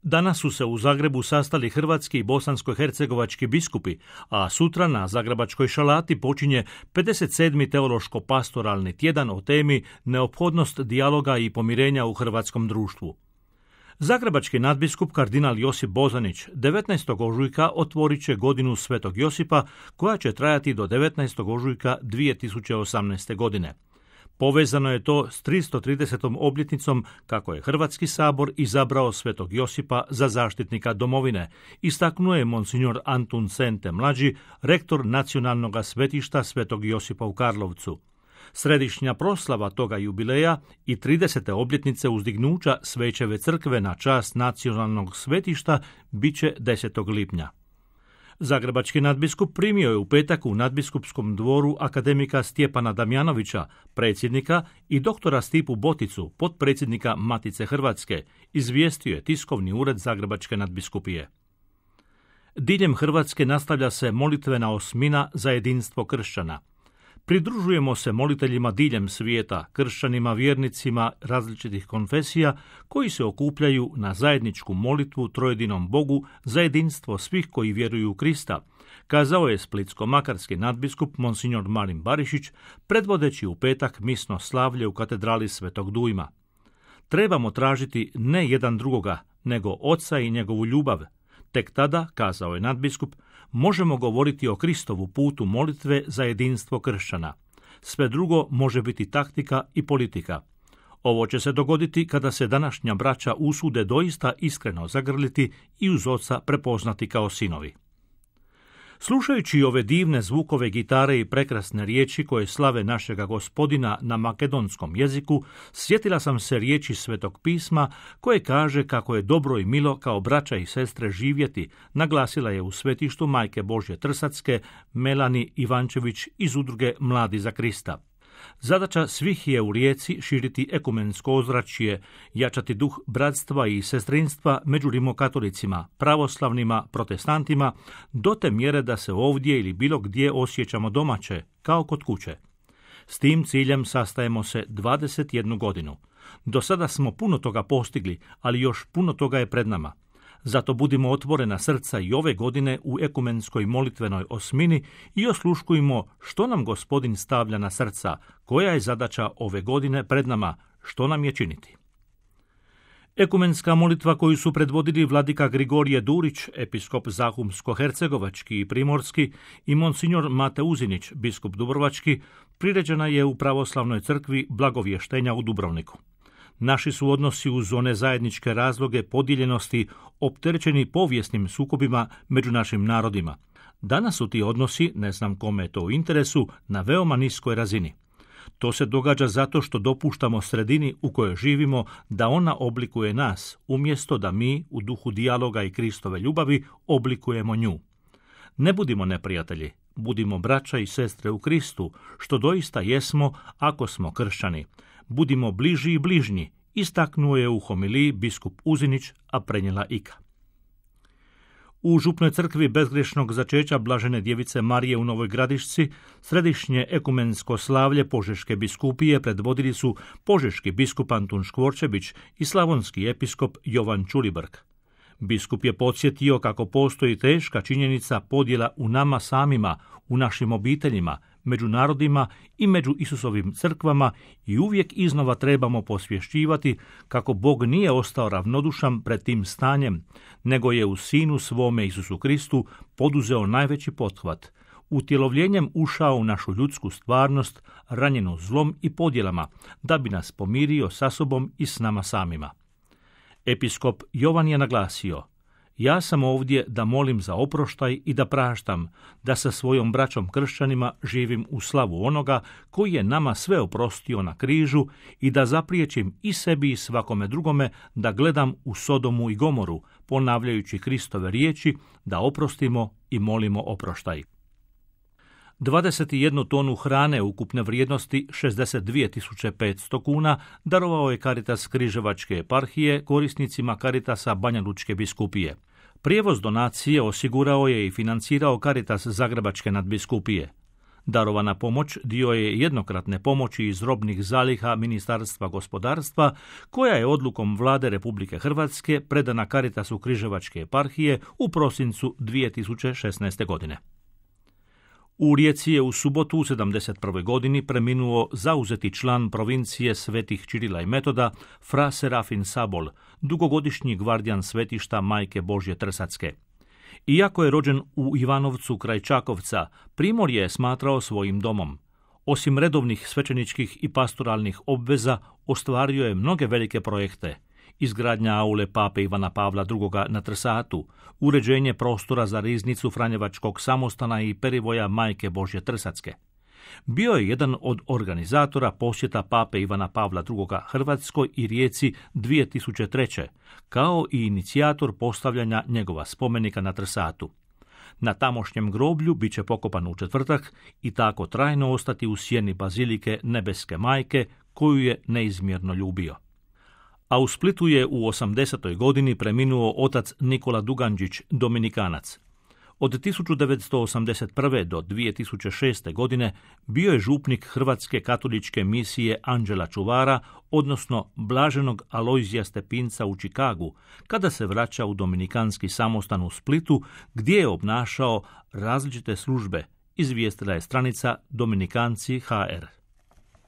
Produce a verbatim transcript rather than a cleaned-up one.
Danas su se u Zagrebu sastali hrvatski i bosansko-hercegovački biskupi, a sutra na Zagrebačkoj šalati počinje pedeset sedmi teološko-pastoralni tjedan o temi neophodnost dijaloga i pomirenja u hrvatskom društvu. Zagrebački nadbiskup kardinal Josip Bozanić devetnaestog ožujka otvorit će godinu Svetog Josipa koja će trajati do devetnaestog ožujka dvije tisuće osamnaeste. godine. Povezano je to s tristo tridesetom obljetnicom kako je Hrvatski sabor izabrao Svetog Josipa za zaštitnika domovine, istaknuo je monsignor Antun Sente mlađi, rektor Nacionalnog svetišta Svetog Josipa u Karlovcu. Središnja proslava toga jubileja i tridesete obljetnice uzdignuća Svećeve crkve na čast Nacionalnog svetišta bit će desetog lipnja. Zagrebački nadbiskup primio je u petak u nadbiskupskom dvoru akademika Stjepana Damjanovića, predsjednika, i doktora Stipu Boticu, potpredsjednika Matice Hrvatske, izvijestio je tiskovni ured Zagrebačke nadbiskupije. Diljem Hrvatske nastavlja se molitvena osmina za jedinstvo kršćana. Pridružujemo se moliteljima diljem svijeta, kršćanima, vjernicima različitih konfesija koji se okupljaju na zajedničku molitvu trojedinom Bogu za jedinstvo svih koji vjeruju u Krista, kazao je splitsko-makarski nadbiskup monsignor Marin Barišić, predvodeći u petak misno slavlje u katedrali Svetog Dujma. Trebamo tražiti ne jedan drugoga, nego Oca i njegovu ljubav. Tek tada, kazao je nadbiskup, možemo govoriti o Kristovu putu molitve za jedinstvo kršćana. Sve drugo može biti taktika i politika. Ovo će se dogoditi kada se današnja braća usude doista iskreno zagrliti i uz Oca prepoznati kao sinovi. Slušajući ove divne zvukove gitare i prekrasne riječi koje slave našega Gospodina na makedonskom jeziku, sjetila sam se riječi Svetog pisma koje kaže kako je dobro i milo kao braća i sestre živjeti, naglasila je u svetištu Majke Božje Trsatske Melani Ivančević iz udruge Mladi za Krista. Zadaća svih je u Rijeci širiti ekumensko ozračje, jačati duh bratstva i sestrinstva među rimokatolicima, pravoslavnima, protestantima, do te mjere da se ovdje ili bilo gdje osjećamo domaće, kao kod kuće. S tim ciljem sastajemo se dvadeset jednu godinu. Do sada smo puno toga postigli, ali još puno toga je pred nama. Zato budimo otvorena srca i ove godine u ekumenskoj molitvenoj osmini i osluškujmo što nam Gospodin stavlja na srca, koja je zadaća ove godine pred nama, što nam je činiti. Ekumenska molitva koju su predvodili vladika Grigorije Durić, episkop Zahumsko-hercegovački i primorski, i monsignor Mate Uzinić, biskup dubrovački, priređena je u pravoslavnoj crkvi Blagovještenja u Dubrovniku. Naši su odnosi uz one zajedničke razloge podijeljenosti opterećeni povijesnim sukobima među našim narodima. Danas su ti odnosi, ne znam kome je to u interesu, na veoma niskoj razini. To se događa zato što dopuštamo sredini u kojoj živimo da ona oblikuje nas, umjesto da mi, u duhu dijaloga i Kristove ljubavi, oblikujemo nju. Ne budimo neprijatelji, budimo braća i sestre u Kristu, što doista jesmo ako smo kršćani. Budimo bliži i bližnji, istaknuo je u homiliji biskup Uzinić, a prenijela Ika. U župnoj crkvi bezgrešnog začeća Blažene djevice Marije u Novoj Gradišci središnje ekumensko slavlje Požeške biskupije predvodili su požeški biskup Antun Škvorčević i slavonski episkop Jovan Čulibrk. Biskup je podsjetio kako postoji teška činjenica podjela u nama samima, u našim obiteljima, među narodima i među Isusovim crkvama i uvijek iznova trebamo posvješćivati kako Bog nije ostao ravnodušan pred tim stanjem, nego je u Sinu svome Isusu Kristu poduzeo najveći pothvat, utjelovljenjem ušao u našu ljudsku stvarnost, ranjenu zlom i podjelama, da bi nas pomirio sa sobom i s nama samima. Episkop Jovan je naglasio: ja sam ovdje da molim za oproštaj i da praštam, da sa svojom braćom kršćanima živim u slavu onoga koji je nama sve oprostio na križu i da zapriječim i sebi i svakome drugome da gledam u Sodomu i Gomoru, ponavljajući Kristove riječi da oprostimo i molimo oproštaj. dvadeset jednu tonu hrane ukupne vrijednosti šezdeset dvije tisuće petsto kuna darovao je Caritas Križevačke eparhije korisnicima Caritasa Banja Lučke biskupije. Prijevoz donacije osigurao je i financirao Caritas Zagrebačke nadbiskupije. Darovana pomoć dio je jednokratne pomoći iz robnih zaliha Ministarstva gospodarstva, koja je odlukom Vlade Republike Hrvatske predana Caritasu Križevačke eparhije u prosincu dvije tisuće šesnaeste. godine. U Rijeci je u subotu u sedamdeset prvoj. godini preminuo zauzeti član provincije Svetih Čirila i Metoda, fra Serafin Sabol, dugogodišnji gvardijan svetišta Majke Božje Trsatske. Iako je rođen u Ivanovcu kraj Čakovca, Primorje je smatrao svojim domom. Osim redovnih svećeničkih i pastoralnih obveza, ostvario je mnoge velike projekte. Izgradnja aule pape Ivana Pavla drugoga. na Trsatu, uređenje prostora za riznicu Franjevačkog samostana i perivoja Majke Božje Trsatske. Bio je jedan od organizatora posjeta pape Ivana Pavla drugoga. Hrvatskoj i Rijeci dvije tisuće treće. kao i inicijator postavljanja njegova spomenika na Trsatu. Na tamošnjem groblju bit će pokopan u četvrtak i tako trajno ostati u sjeni bazilike Nebeske Majke, koju je neizmjerno ljubio. A u Splitu je u osamdesetoj. godini preminuo otac Nikola Duganđić, dominikanac. Od tisuću devetsto osamdeset prve. do dvije tisuće šeste. godine bio je župnik Hrvatske katoličke misije Anđela Čuvara, odnosno Blaženog Alojzija Stepinca u Čikagu, kada se vraća u dominikanski samostan u Splitu, gdje je obnašao različite službe, izvijestila je stranica Dominikanci ha er.